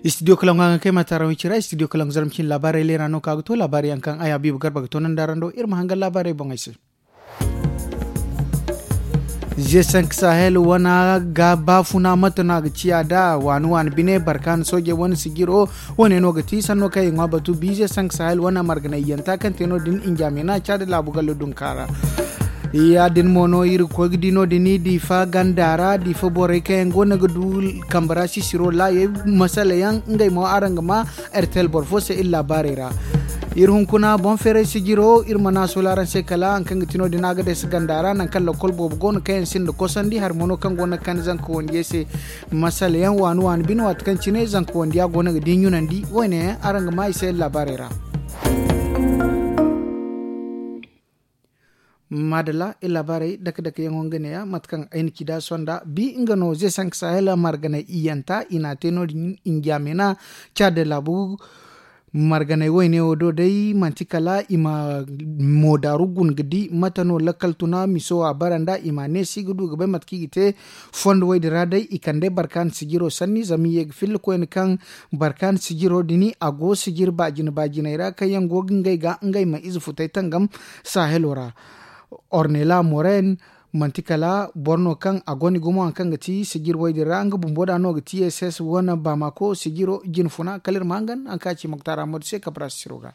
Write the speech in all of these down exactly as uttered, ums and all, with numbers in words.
Istidiyo kalaŋ ga kaŋ ay ma taaraŋ way cira istidiyo kalaŋ ga zarma cine laabaarey leera no kaŋ a ga to laabaarey yaŋ kaŋ aya biiba garba ga to nda araŋ do iri ma hangan laabaarey boŋey se. Ze sank sahel wane ga baafuna mate no a ga ciya nd'a waani waani bine barkaana soojey wane sijiro. Wane no ga ti sanno kaŋ i ŋwa batu bi ze sank sahel wane marganayyanta kaŋ te no- din injamina caadi laabu gallo dunka ra. Ya- din mo no iri ga koy ga di no- din diifa ganda ra diifa borey kaŋ yaŋ go no ga du kambe ra sisiro laayey masala yaŋ ngey mo araŋ ga ma. Ertel boro fo se iri laabaarey ra. Iri hunkuna boŋ feeray sijiro iri mana a soola araŋ se kala hari kaŋ ga ti no- din a ga day si ganda ra nangu kaŋ lakkol boobo go no kaŋ yaŋ sinda kosandi hari mo no kaŋ go no ga kande zanka wandiya se. Masala yaŋ waani waani bine waati kaŋ cine zanka wandiya go no ga di ɲunandi wo- ne yaŋ araŋ ga ma i se iri laabaarey ra. Maadalla iri laabaarey dake dake yaŋo nga neeya mate kaŋ ay na ci nd'a sonda bi nga no ze sank sahel marganay iyanta i n'a te no- din injamena. Caade laabu marganay wayne wo do day manti kala i ma moodaaru guna ga di mate no lakkal tuna miso a bara nd'a i m'a neesi ga du ga bay mate kaŋ i ga te. Fondo wo- din ra day i kande barkaana sijiro sanni zama i ye ga filla koyne kaŋ barkaana sijiro din a go sijiri baajine baajiney ra kaŋ yaŋ go ga ngey ga ngey ma ize futay tangam. Sahelo ra ornela moren manti kala boro no kaŋ a gonda gumo hari kaŋ ga ti sijiri wo- din ra nga bumbo da no ga ti ss wane baamako sijiro jine funa kala iri ma hangan hari kaŋ a ci moktar ahmadu se kabra sisiro ga.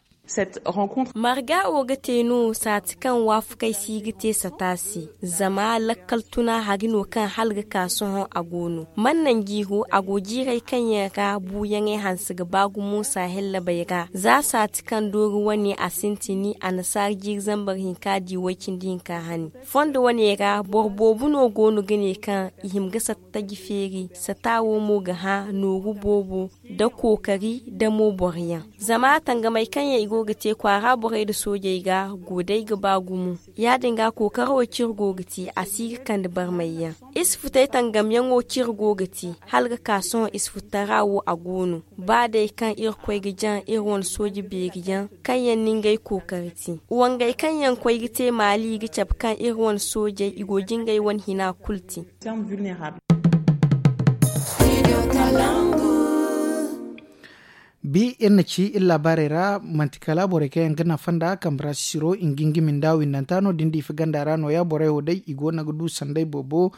Marga wo ga te no saati kaŋ waafakey si ga te sata se. Zama lakkal tuna hari no kaŋ hala ga ka sohõ a go no man naŋ jiiro a go jiirey kaŋ yaŋ ra buuyaŋey hanse ga ba gumo sahel labey ra za saati kaŋ doori wane a sintini annasaara jiiri zambar hinka di way- cindi hinka hani. Fondo wane ra boro boobo no go no ga ne kaŋ i hima ga sata taji feeri sata wo mo ga hã nooru boobo nda kookari nda mo boro yaŋ. Zama tangamey kaŋ yaŋ i go ga te kwaara borey nda soojey ga go day ga ba gumo. Ya- din ga kookaro wo cire go ga te a si ga kande barmay yaŋ. Isfutey tangamyaŋo cire go ga te hala ga ka sohõ isfutara wo a go no. Ba day kaŋ irkoy ga jaŋ iri wane sooje beeri yaŋ kaŋ yaŋ na ngey kookari te. Wangey kaŋ yaŋ koy ga te maali ga cabe kaŋ iri wane soojey i go ga ngey wane hina kulu te. Bi iri na ci iri laabaarey ra manti kala borey kaŋ yaŋ ga nafa nda kambe ra sisiro i ga ngimi nda windanta no- din diifa ganda ra nooya borey wo day i go no ga du sanday boobo.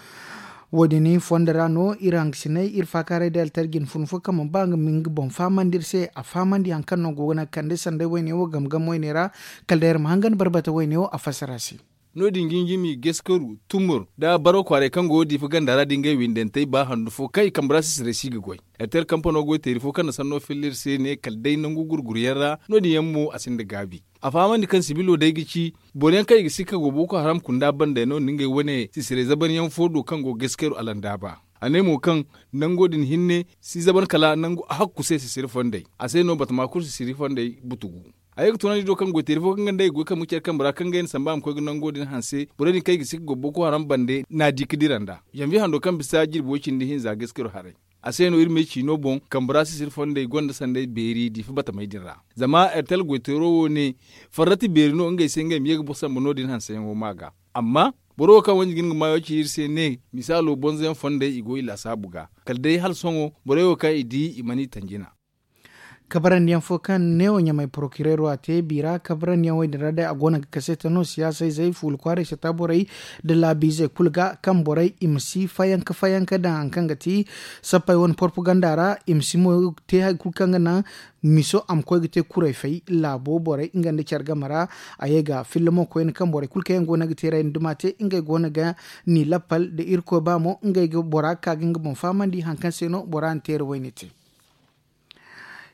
Wo- din fondo ra no iri hangasiney iri faakaaray day altarji nda fun fo kaŋ mana ba nga ma nga boŋ fahamandi iri se a fahamandi hari kaŋ no go ga naŋ ga kande sanday wayne wo game game wayne ra. Kala day iri ma hangan barbata wayne wo a fassara se. No- din ga ngimi gaskaru tumur nda baro kwaaray kaŋ go diifa ganda ra da ngey windantey ba handu fo kaŋ i kambe ra sisiray si ga goy. Ertel kampano goyteeri fo kaŋ na sanno filla iri se ne kala day nangu gurguryaŋ ra. No- din yaŋ mo a sinda gaabi a fahamandi kaŋ sibilo day ga ci boro yaŋ kaŋ i ga sikka go boko haram kunda banda no na ngey wane sisiray zaban yaŋ fo do kaŋ go gaskaru alandaaba. A ne mo kaŋ nango din hinne si zaban kala nangu a hakku se sisiri fondey a se no batama kulu sisiri fondey butugu. A ye ga tunandi do kaŋ goyteeri fo kaŋ ga nda i goy kaŋ ma care kambe ra kaŋ ga ay na samba a ma koy ga nango din hanse borey din kaŋ i ga si ga goro boko haram bande n'a di ga dira nd'a. Zanviye hando kaŋ bisa jirbi way cindi hinza gaskiro haray. A se no iri ma ay ciino boŋ kambe ra sisiri fondey gonda sanday beeri diifa batamey din ra. Zama ertel goyteero wo ne farrati beeri no ngey se ngey ma ye ga boro samba no- din hanseyaŋo ma ga. Amma boro wo kaŋ wanji ga hin ga maayo ci iri se ne misaalo bonzoyaŋ fondey i go i laasaabu ga kala day hala sohõ borey wo kaŋ i di i mana i tanjina. Kabarandiyaŋ fo kaŋ neewo ɲamay porokireero a te biira kabarandiyaŋ wo- din ra day a go no ga kaseeta no siyaasa izey fuula kwaaray sata borey nda laabiizey kulu ga kaŋ borey i ma si fayanka fayanka daŋ hari kaŋ ga ti sappey wane porpaganda ra i ma si mo te hari kulu kaŋ ga naŋ miso a ma koy ga te kuray fay laabo borey nga nda care game ra. A ye ga filla mo koyne kaŋ borey kulu kaŋ yaŋ go no ga teeray nda duma te ngey go no ga ni lappal nda irkoy ba mo ngey ga bora ga ka ga nga boŋ fahamandi hari kaŋ se no bora na teera wayne te.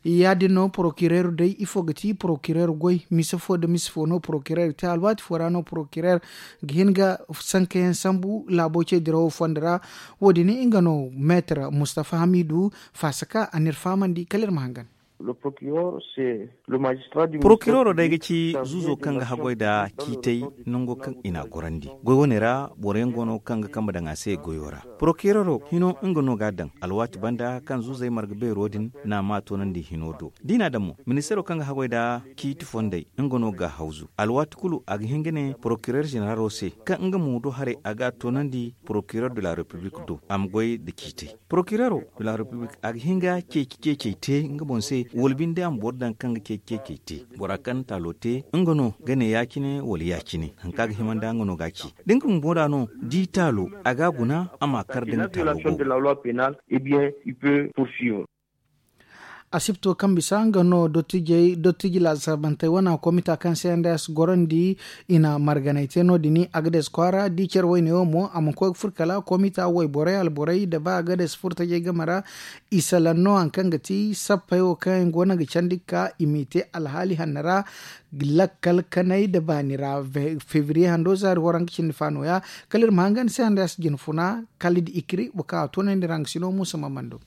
Ya- din no porokireero day ifo ga ti porokireero goy mise fo nda mise fo no porokireero te alwaati fo ra no porokireero ga hin ga sankayaŋ sambu laabo ce dirawo fondo ra. Wo- din nga no meetar mustafa hamidu faasa ka a n'iri fahamandi kala iri ma hangan. Porokiroro day ga ci zuuzo kaŋ ga haggoy nda ciitay nango kaŋ i n'a gorandi. Goy wane ra boro yaŋ go no kaŋ ga kambe daŋ a se goyo ra. Porokiroro hino nga no ga a daŋ alwaati banda kaŋ zuuzey marga beero din n'a maa toonandi hino do. Da i n'a daŋ mo, ministeero kaŋ ga haggoy nda ciiti fondey, nga no ga a hawzu. Alwaati kulu a ga hin ga ne porokirer zeneralo se kaŋ nga mo do haray a ga a toonandi porokirer de la repiblik do a ma goy nda ciitey. Porokireero de la repiblik a ga hin ga ceeci ceecey te nga boŋ se, wala binde a ma boro daŋ kaŋ ga ceeci ceecey te. Bora kaŋ taalo te, nga no ga ne ya-cine wala ya-cine. Hari kaŋ a ga hima nda nga no ga a ci. Da nga bumbo da no di taalo, a ga a guna a ma a kar da nga taalo go. Asibto kaŋ bisa nga no dottijey dottiji laasaabantey wana komita kaŋ se nds gorandi i na marganay te no- din agades kwaara di care wayne wo mo a mana koy ga furo kala komita wayborey alborey nda ba agades furo tajey game ra. I salaŋ no hari kaŋ ga ti sappey wo kaŋ yaŋ go no ga candi ga ka i m'i te alhaali hanno ra lakkal kanay nda baani ra. Febriye hando zaari waranka cindi fa nooya kala iri ma hangan se nds jinfuna kala da ikiri wo kaŋ a toonandi ra nga si no muusa ma mando.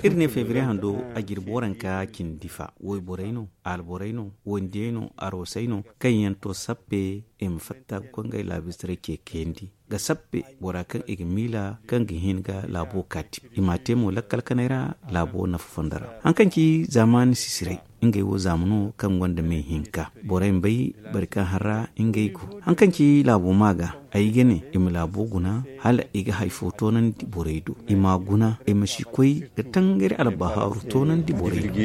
Iri ne febriye hando a jirbi waranka cindi fa wayborey no, alborey no, wandiyey no, aroosey no, kaŋ yaŋ to sappe i ma fatta ga koy ngey laabistaray ce kayandi ga sappe bora kaŋ i ga miila kaŋ ga hin ga laabo kaati. I m'a te mo lakkal kanay ra laabo nafa fondo ra. Hari kaŋ ci zaamaani sisiray, ngey wo zaama no kaŋ gonda me hinka. Borey ma bay bari kaŋ har ra ngey go. Hari kaŋ ci laabo ma ga, ay ga ne i ma laabo guna hala i ga hari fo toonandi borey do. I m'a guna i ma si koy ga tangari albahaaru toonandi borey do.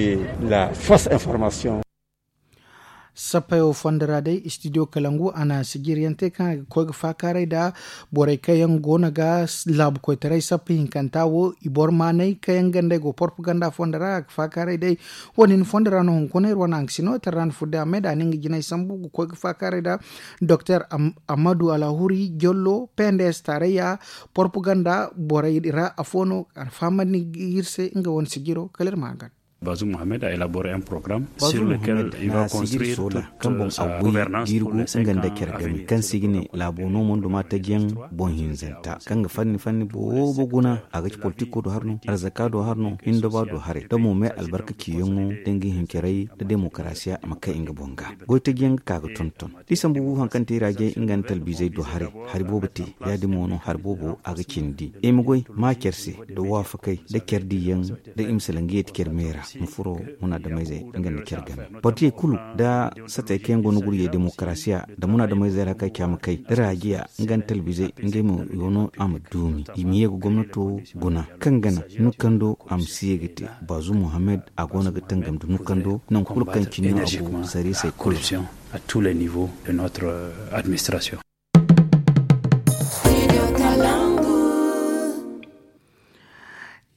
Sappayo fondo ra day istidiyo kalangu a na sijiryaŋ te kaŋ a ga koy ga faakaaray nda borey kaŋ yaŋ go no ga laabu koytaray sappa hinkanta wo i boro maanay kaŋ yaŋ gandey go porpaganda fondo ra a ga faakaaray day. Wo- din fondo ra no hunkuna iri wane haŋ ga si no tara ra no fudde a may da a na nga jinay sambu ga koy ga faakaaray nda doktor amadu alahuri jollo pnds tarayya porpaganda borey ra afo no a na fahamandi iri se nga wane sijiro kala iri ma haŋ ga. Bazum mohammed a elabore un programme sur lequel il va construire toute sa gouvernance pour les cinq ans à venir. Kaŋ se i ga ne laabo no mondo ma taji yaŋ boŋ hinzanta kaŋ ga fanni fanni boobo guna a ga ci politiko do har no arzaka do har no hindoba do haray da mo me albarka ciyaŋo da nga hincaray da demokarasiya a ma kay nga boŋ ga. Goy taji yaŋ ga ka ga tonton da i sambu hari kaŋ te i ra jay nga nda talbizey do haray. Hari boobo te ya- din mo no hari boobo a ga cindi i ma goy ma care se da waafakey da care diyaŋ da i ma salaŋ ga yeeti care me ra ma furo munaadamayzey nga nda care game. Partiyey kulu da satey kaŋ yaŋ go no gurjey demokarasiya da munaadamayzey ra kaŋ caama kay da raajiya nga nda talbizey ngey mo i wo no a ma duumi i ma ye ga gomnato guna kaŋ gana nukando a ma si ye ga te. Bazum mohammed a go no ga tangam nda nukando nangu kulu kaŋ cine no a go sariisey kulu.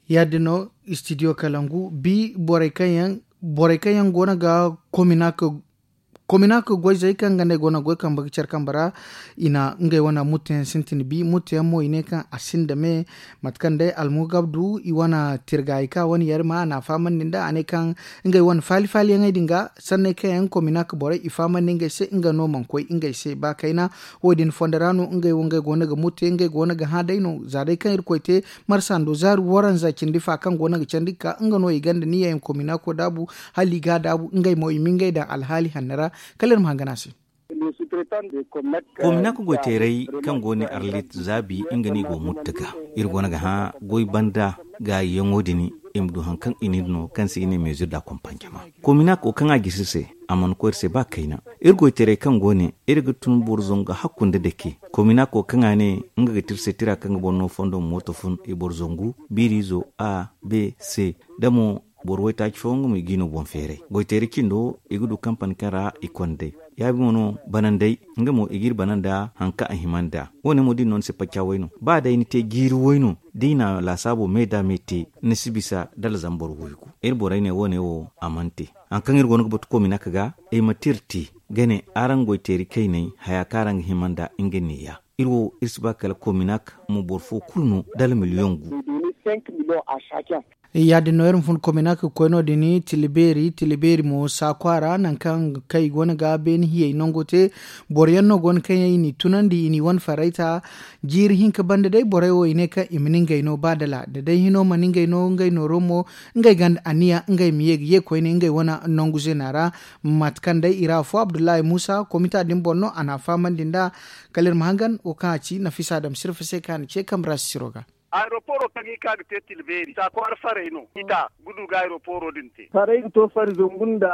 Ya- din no istidiyo kalangu bi borey kaŋ yaŋ go no ga kominak goyzey kaŋ ga ne go no ga goy kambe ga care kambe ra. I na ngey wane mutteyaŋ sintin bi mutteyaŋ mo i ne kaŋ a sinda me mate kaŋ day almugabdu i wane tirgayi kaŋ a wane yarima a na a fahamandi nda a ne kaŋ ngey wane faali faaliyaŋey din ga sanney kaŋ yaŋ kominak borey i fahamandi ngey se nga no mana koy ngey se ba kayna. Wo- din fondo ra no ngey wo ngey go no ga mutte ngey go no ga hã day no za day kaŋ irkoy te marsando zaari waranza cindi fa kaŋ go no ga candi ga ka nga no i gonda niya yaŋ kominako daabu hala i ga a daabu ngey mo i ma ngey daŋ alhaali hanno ra. Kala iri ma hangan a se. Kominako goyteeray kaŋ go ne arlit zaabi nga no i go mutta ga iri go no ga hã goy banda gaayiyaŋo din i ma du hari kaŋ i n'iri no kaŋ se i ne mezir da kompanjama. Kominako kaŋ a gisi se a mana koy iri se ba kayna. Iri goyteeray kaŋ go ne iri ga tun boro zangu hakku nda dake kominako kaŋ a ne nga ga ti iri se tira kaŋ ga boro no fondo ma mooto fun i boro zangu biiriizo a b c da mo boro waytaaci fooyaŋ ga mo i ga i no boŋ feeray goyteeri cindo i ga du kampani kaŋ ra i kond'ey. Yaabi mo no banandey nga mo i ga iri bana nda hari kaŋ a hima nd'a. Wo- ne mo da i na no ni se pacca way no ba day ni te jiiri way no da i na laasaabo me da me te ni si bisa dala zama boro waygu. Iri borey ne wo- ne wo a mana te hari kaŋ iri go no ga batu kominak ga ay ma tir te ga ne araŋ goyteeri kayney haya kaŋ araŋ ga hima nd'a nga neeya. Iri wo iri si ba kala kominak ma boro fo kulu no dala miliyoŋ gu. Ya- din no iri ma fun komina ka koy no- din, tilibeeri tilibeeri mo saakwa ra nangu kaŋ i go no ga beeni hiyey nango te. Boro yaŋ no go no kaŋ yaŋ i n'i tunandi i n'i wane farayta. Jiiri hinka banda day borey wo i ne kaŋ i ma ni ngey no ba dala da day hino mana ngey no ngey nooro mo. Ngey ganda aniya ngey ma ye ga ye koyne ngey wane nangu zeena ra. Mate kaŋ day i ra afo abdullahi muusa komita din boŋ no a n'a fahamandi nd'a. Kala iri ma hangan wo kaŋ a ci nafisa dam sirfa se kaŋ a na ce kambe ra sisiro ga. Aeroporo kaŋ i ka ga te tilbeeri saakwaara farey no i ta gudu ga aeroporo din te. Farey ga to fari zangu nda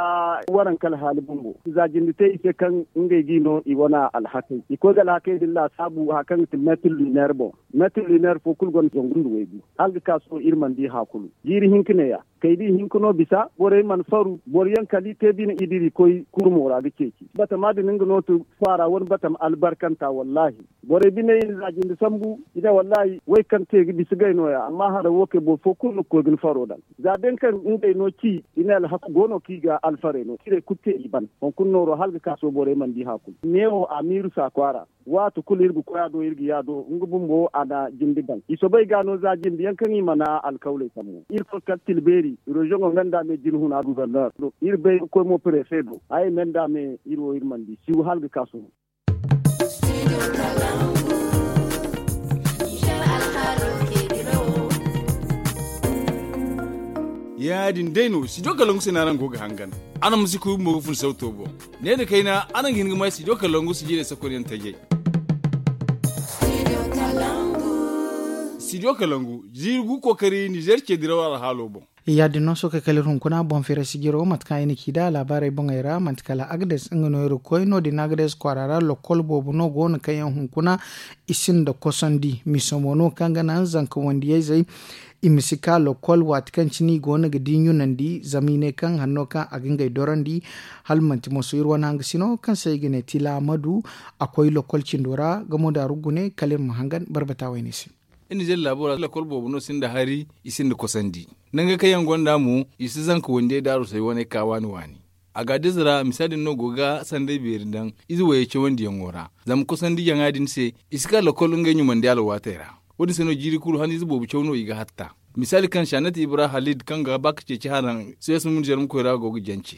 waranka alhaali bumbo. Za jinde te i se kaŋ ngey ga i no i wane alhakey i koy ga alhakey din laasaabu hari kaŋ ga ti meetir luneer boŋ. Meetir luneer fo kulu gonda zangu nda waygu hala ga ka sohõ iri mana di hã kulu. Jiiri hinka neeya kay da i hinka no bisa borey mana faru boro yaŋ kala i te bine i dira i koy kurmo ra ga ceeci batama din nga no ti kwaara wane batama albarkanta wallaahi. Borey biney i na za jinde sambu i ne wallaahi way kaŋ te ga bisa gay nooya amma hara wo kay boro fo kulu ni ga koy ga ni faro daŋ. Za day kaŋ ngey no ci i ne alhaku go no kaŋ i ga alfarey no cirey kulu te i ban hunkuna nooro hala ga ka sohõ borey mana di hã kulu neewo amiiru saakwaara. Waati kulu iri ga koy a do iri ga yaado nga bumbo a na jinde daŋ i soobay ga no za jinde yaŋ kaŋ i mana alkawley sambu iri koy kala tilbeeri reziyoŋo nga nda me jinhuna guberner do iri bay ga koy mo prefe do ay me nda me iri wo iri mana di siw hala ga ka sohõ. Ya- din day no studio kalangu se no araŋ go ga hangan. Araŋ ma si kuubi mo ga fun sauto boŋ. Ne nda kayna araŋ ga hin ga ma studio kalangu sijirey sakonyaŋ tajey. Studio kalangu jiiri gu kookari nizer ce diraw alhaalo boŋ. Ya- din no sohõ kay kala iri hunkuna boŋ feeray sijiro mate kaŋ ay na ci nd'a laabaarey boŋey ra manti kala agades nga no iri ga koy no- din agades kwaara ra lokol boobo no go no kaŋ yaŋ hunkuna i sinda kosandi miso mo no kaŋ ga naŋ zanka wandiyayzey. I ma si ka lokol waati kaŋ cine i go no ga di ɲunandi zama i ne kaŋ hanno kaŋ a ga ngey dorandi. Hala manti moso iri wane hangasino kaŋ se i ga ne tila amadu a koy lokol cindo ra gamo daaru gune kala iri ma hangan barbata wayne se. Iri na zelle laabo ra lakol boobo no sinda hari i sinda kosandi. Nangey kaŋ yaŋ gonda mo i si zanka wandiyey daaru say waney ka waani waani. A ga a diza ra misa din no go ga sanday beeri daŋ ize wayey cawandiyaŋo ra. Zama kosandi jaŋa din se i si ka lakol ngey ɲumandi alwaatey ra. Wo- din se no jiiri kulu han ize boobo caw no i ga hatta. Misaali kaŋ sanat ibra halid kaŋ ga ba ka ceeci haraŋ soyas munzermkoy ra go ga jance.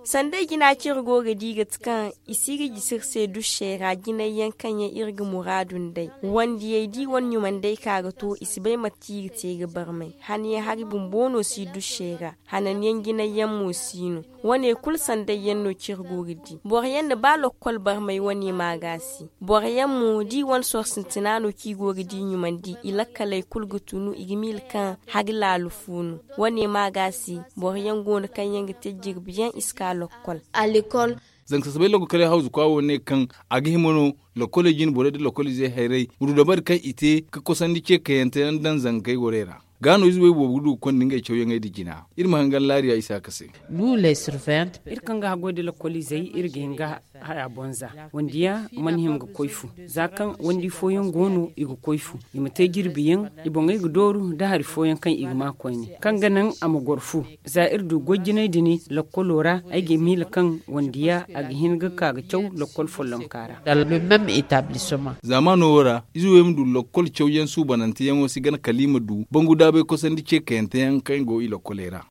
Sanda i jina kaŋ iri go ga di ga ti kaŋ i si ga jisi iri se dušey ra jinay yaŋ kaŋ yaŋ iri ga muraadu nd'ey wandiyey da i wane ɲumandey ka ga to i si bay mate kaŋ i ga te ga barmay. Hanayaŋ hari bumbo no si dušey ra. Hananyaŋ jinay yaŋ mo si no. Wane kulu sanday yaŋ no kaŋ iri go ga di boro yaŋ na ba lokkol barmay wane ma ga si. Boro yaŋ mo da i wane soro sintina no kaŋ i go ga di ɲumandi i lakkaley kulu ga tunu i ga miila kaŋ hari laalu fu no. Wane ma ga si. Boro yaŋ go no kaŋ yaŋ ga te jirbi yaŋ i si ka lokkol. Zanka sasabay lokol kala hawzu kwa wo ne kaŋ a ga hima no. Lokoley jine borey da lokolizey hayrey ma du dabari kaŋ i te ga kosandi ce kayante yaŋ daŋ zankey gorey ra. Ga no ize wey boobo ga du ga konda ngey cawyaŋey nda jina. Iri ma hangan laariya isaaka se. Iri kaŋ ga haggoy da lokolizey iri ga hin ga haya boŋ za. Wandiya mana hima ga koy fu. Za kaŋ wandi fooyaŋ go no i ga koy fu i ma te jirbi yaŋ. I boŋey ga dooru nda hari fooyaŋ kaŋ i ga ma koyne kaŋ ga naŋ a ma goro fu. Za iri du goy jinay din lakkolo ra ay ga miila kaŋ wandiya a ga hin ga ka ga caw lakkol follonka ra. Zaamaano wo ra ize wey ma du lakkol cawyaŋ suubananteyaŋo se gana kala i ma du bangu daabay kosandi ce kayante yaŋ kaŋ go i lakkoley ra.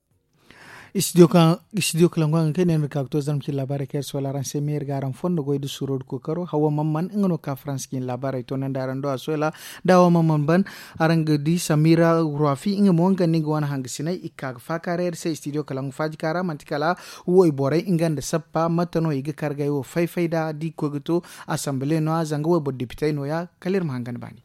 Istidiyo kaŋ istidiyo kalangu a ga kay ne no ga ka ga to zarma cine laabaarey kaŋ iri soola araŋ se meeri ga araŋ fondo goy nda suuro nda kookaro hawa mamman nga no ga ka farans ga hin laabaarey toonandi araŋ do a soola. Da hawa mamman ban araŋ ga di samira ruwafi nga mo nga nda nga wane hangasiney i ga ka ga faakaaray iri se istidiyo kalangu faajika ra manti kala woy borey nga nda sappa mate no i ga kar ga ay wo fay-fay nd'a da i ga koy ga to. Asambile no- ya zanga woy boro depitey no- ya. Kala iri ma hangan baani.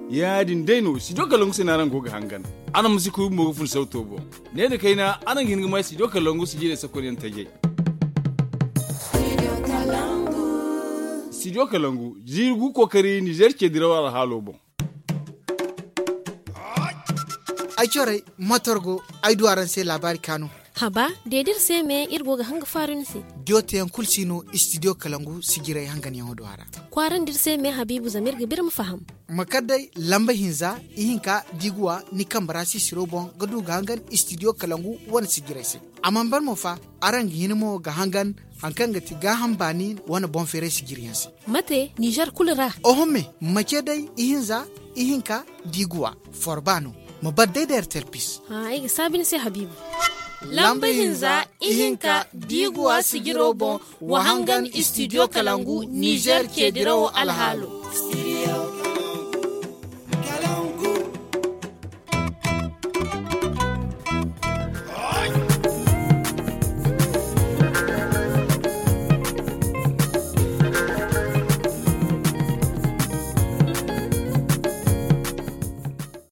Ya- din day no studio kalangu se no araŋ go ga hangan. Araŋ ma si kuubi mo ga fun sauto boŋ. Ne nda kayna araŋ ga hin ga ma studio kalangu sijirey sakonyaŋ tajey. Studio kalangu jiiri gu kookari nizer ce diraw alhaalo boŋ. Ay corey motor go ay du araŋ se laabaari kaanu. Haba, de da iri se me iri go ga hanga faaru ni se. Diyo teyaŋ kulu si no istidiyo kalangu sijiray hanganyaŋo do a ra. Kwaarandi iri se me habiibu zama iri ga ba iri ma faham. Ma kar day lamba hinza, ihinka diiguwa ni kambe ra sisiro boŋ ga du ga hangan istidiyo kalangu wane sijiray se. A mana ban mo fa, araŋ ga hin mo ga hangan hari kaŋ ga ti gaaham baani wane boŋ feeray sijiri yaŋ se. Mate ninzeer kulu ra? Oho me, ma ce day ihinza, ihinka diiguwa, forba no. Ma bar day da ertel pis. Ay ga saabi ni se habiibu. Lamba hinza, ihinka diiguwa sijiro boŋ, wa hangan istidiyo kalangu ninzeer ce dirawo alhaalo.